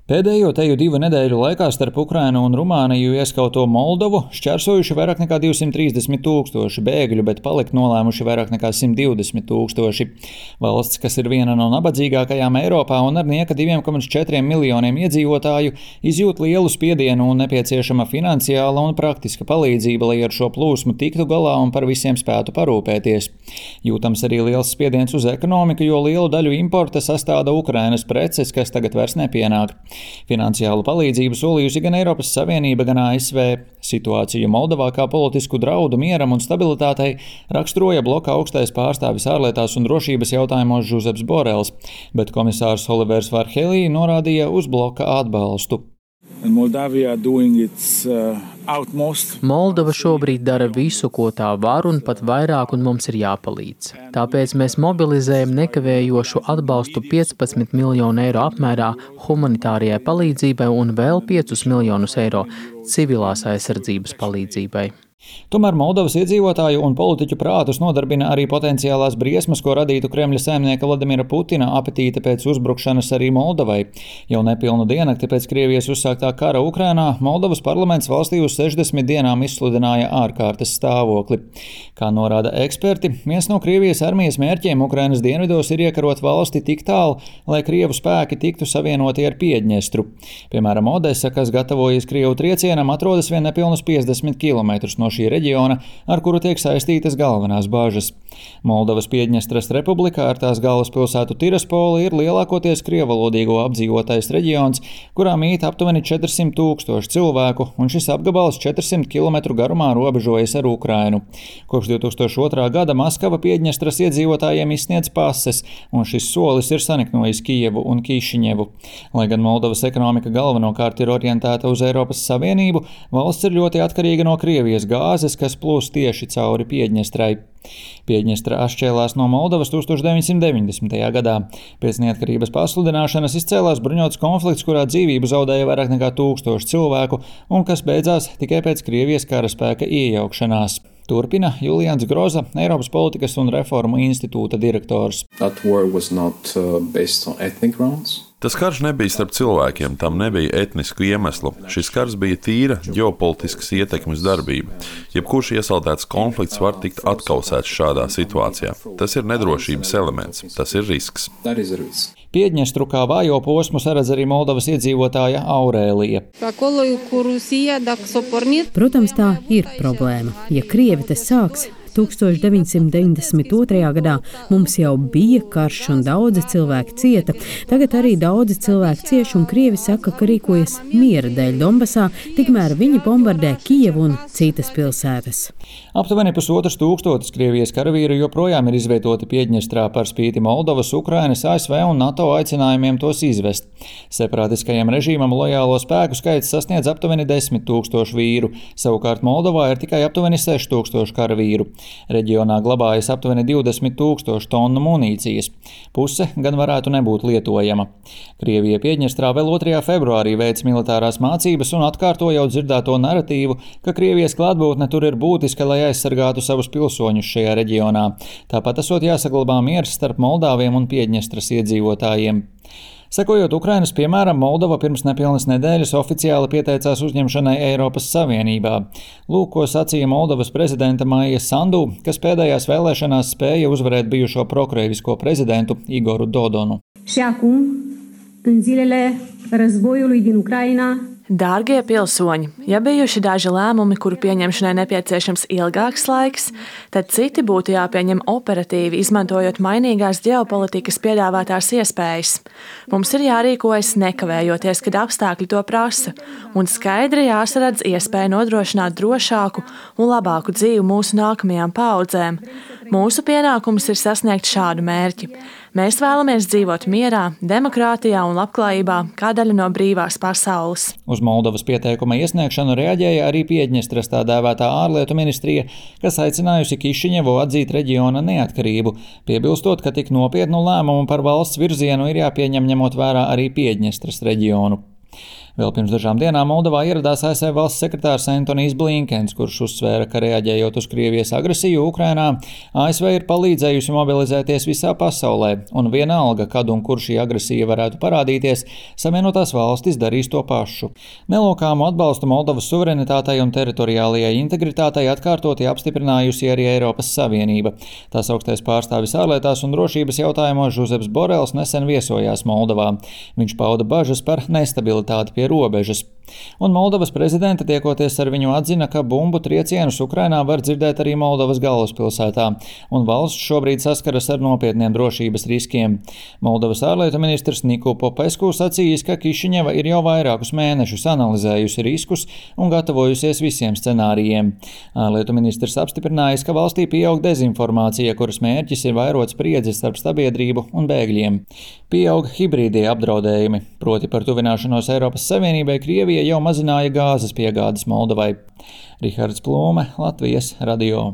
Pēdējo teju 2 nedēļu laikā starp Ukrainu un Rumāniju ieskauto Moldovu šķērsojuši vairāk nekā 230 000 bēgļu, bet palikt nolēmuši vairāk nekā 120 000. Valsts, kas ir viena no nabadzīgākajām Eiropā un ar nieka 2,4 miljoniem iedzīvotāju, izjūt lielu spiedienu un nepieciešama finansiāla un praktiska palīdzība, lai ar šo plūsmu tiktu galā un par visiem spētu parūpēties. Jūtams arī liels spiediens uz ekonomiku, jo lielu daļu importa sastāda Ukrainas preces, kas tagad vairs nepienāk. Finansiālu palīdzību solījusi gan Eiropas Savienība, gan ASV. Situāciju Moldovā kā politisku draudu mieram un stabilitātei raksturoja bloka augstais pārstāvis ārlietās un drošības jautājumos Žuzeps Borels, bet komisārs Olivers Varhelī norādīja uz bloka atbalstu. Moldova šobrīd dara visu, ko tā var, un pat vairāk, un mums ir jāpalīdz. Tāpēc mēs mobilizējam nekavējošu atbalstu 15 miljonu eiro apmērā humanitārajai palīdzībai un vēl 5 miljonus eiro civilās aizsardzības palīdzībai. Tomēr Moldovas iedzīvotāju un politiķu prātus nodarbina arī potenciālās briesmas, ko radītu Kremļa saimnieka Vladimira Putina apetīte pēc uzbrukšanas arī Moldovai. Jau nepilnu diennakti pēc Krievijas uzsāktā kara Ukrainā Moldovas parlaments valstī uz 60 dienām izsludināja ārkārtas stāvokli. Kā norāda eksperti, viens no Krievijas armijas mērķiem Ukrainas dienvidos ir iekarot valsti tik tālu, lai Krievu spēki tiktu savienoti ar Piedņestru. Piemēram, Odesa, kas gatavojas Krievu triecienam, atrodas vien nepilnus 50 km no šī reģiona, ar kuru tiek saistītas galvenās bāžas. Moldovas Piedņestras republikā ar tās galvaspilsētu Tiraspoli ir lielākoties krievalodīgo apdzīvotais reģions, kurā mīt aptuveni 400 000 cilvēku, un šis apgabals 400 km garumā robežojas ar Ukrainu. Kopš 2002. gada Maskava Piedņestras iedzīvotājiem izsniedz pases, un šis solis ir saniknojis Kijevu un Kišiņevu. Lai gan Moldovas ekonomika galvenokārt ir orientēta uz Eiropas Savienību, valsts ir ļoti atkarīga no Krievijas gāzes, kas plūst tieši cauri Piedņestrai. Piedņestra atšķēlās no Moldovas 1990. gadā. Pēc neatkarības pasludināšanas izcēlās bruņots konflikts, kurā dzīvību zaudēja vairāk nekā 1000 cilvēku un kas beidzās tikai pēc Krievijas karaspēka iejaukšanās. Turpina Julians Groza, Eiropas politikas un reformu institūta direktors. Tas karš nebija starp cilvēkiem, tam nebija etnisku iemeslu. Šis karš bija tīra ģeopolitiskas ietekmes darbība. Jebkurš iesaldēts konflikts var tikt atkausēts šādā situācijā. Tas ir nedrošības elements, tas ir risks. Piedņestru kā vājo posmu saredz arī Moldovas iedzīvotāja Aurēlija. Protams, tā ir problēma. Ja Krievi te sāks 1992. gadā mums jau bija karš un daudzi cilvēki cieta. Tagad arī daudzi cilvēki cieš un Krievi saka, ka rīkojas miera dēļ Donbasā, tikmēr viņi bombardē Kijevu un citas pilsētas. Aptuveni 1500 Krievijas karavīru joprojām ir izvietoti Piedņestrā par spīti Moldovas, Ukrainas, ASV un NATO aicinājumiem tos izvest. Separātiskajam režīmam lojālo spēku skaits sasniedz aptuveni 10 000 vīru, savukārt Moldovā ir tikai aptuveni 6000 karavīru. Reģionā glabājas aptuveni 20 000 tonu munīcijas. Puse gan varētu nebūt lietojama. Krievija Piedņestrā vēl 2. februārī veic militārās mācības un atkārto jau dzirdēto naratīvu, ka Krievijas klātbūtne tur ir būtiska, lai aizsargātu savus pilsoņus šajā reģionā. Tāpat esot jāsaglabā miers starp Moldāviem un Piedņestras iedzīvotājiem. Sekojot Ukrainas piemēram, Moldova pirms nepilnas nedēļas oficiāli pieteicās uzņemšanai Eiropas Savienībā. Lūk, ko sacīja Moldovas prezidenta Maija Sandu, kas pēdējās vēlēšanās spēja uzvarēt bijušo prokrievisko prezidentu Igoru Dodonu. Dārgie pilsoņi, ja bijuši daži lēmumi, kuru pieņemšanai nepieciešams ilgāks laiks, tad citi būtu jāpieņem operatīvi, izmantojot mainīgās ģeopolitikas piedāvātās iespējas. Mums ir jārīkojas nekavējoties, kad apstākļi to prasa, un skaidri jāsaredz iespēja nodrošināt drošāku un labāku dzīvi mūsu nākamajām paaudzēm. Mūsu pienākums ir sasniegt šādu mērķi. Mēs vēlamies dzīvot mierā, demokrātijā un labklājībā kā daļa no brīvās pasaules. Uz Moldovas pieteikuma iesniegšanu reaģēja arī Piedņestras tā dēvētā ārlietu ministrija, kas aicinājusi Kišiņevu atzīt reģiona neatkarību, piebilstot, ka tik nopietnu lēmumu par valsts virzienu ir jāpieņem ņemot vērā arī Piedņestras reģionu. Vēl pirms dažām dienām Moldovā ieradās ASV valsts sekretārs Antonijs Blinkens, kurš uzsvēra, ka reaģējot uz Krievijas agresiju Ukrainā, ASV ir palīdzējusi mobilizēties visā pasaulē, un vienalga, kad un kur šī agresija varētu parādīties, Savienotās valstis darīs to pašu. Nelokāmu atbalstu Moldovas suverenitātei un teritoriālajai integritātei atkārtoti apstiprinājusi arī Eiropas Savienība. Tās augstais pārstāvis ārlietās un drošības jautājumos Žuzeps Borels nesen viesojās Moldovā. Viņš pauda bažas par nestabilitāti pie robežas. Un Moldovas prezidenta tiekoties ar viņu atzina, ka bumbu triecienus Ukrainā var dzirdēt arī Moldovas galvaspilsētā, un valsts šobrīd saskaras ar nopietniem drošības riskiem. Moldovas ārlietu ministrs Niku Popesku sacījis, ka Kišiņeva ir jau vairākus mēnešus analizējusi riskus un gatavojusies visiem scenārijiem. Ārlietu ministrs apstiprinājis, ka valstī pieaug dezinformācija, kuras mērķis ir vairot spriedzi starp sabiedrību un bēgļiem. Pieaug hibrīdie apdraudējumi, proti par tuvināšanos Eiropas Savienībai Krievija jau mazināja gāzes piegādes Moldovai. Rihards Plūme, Latvijas radio.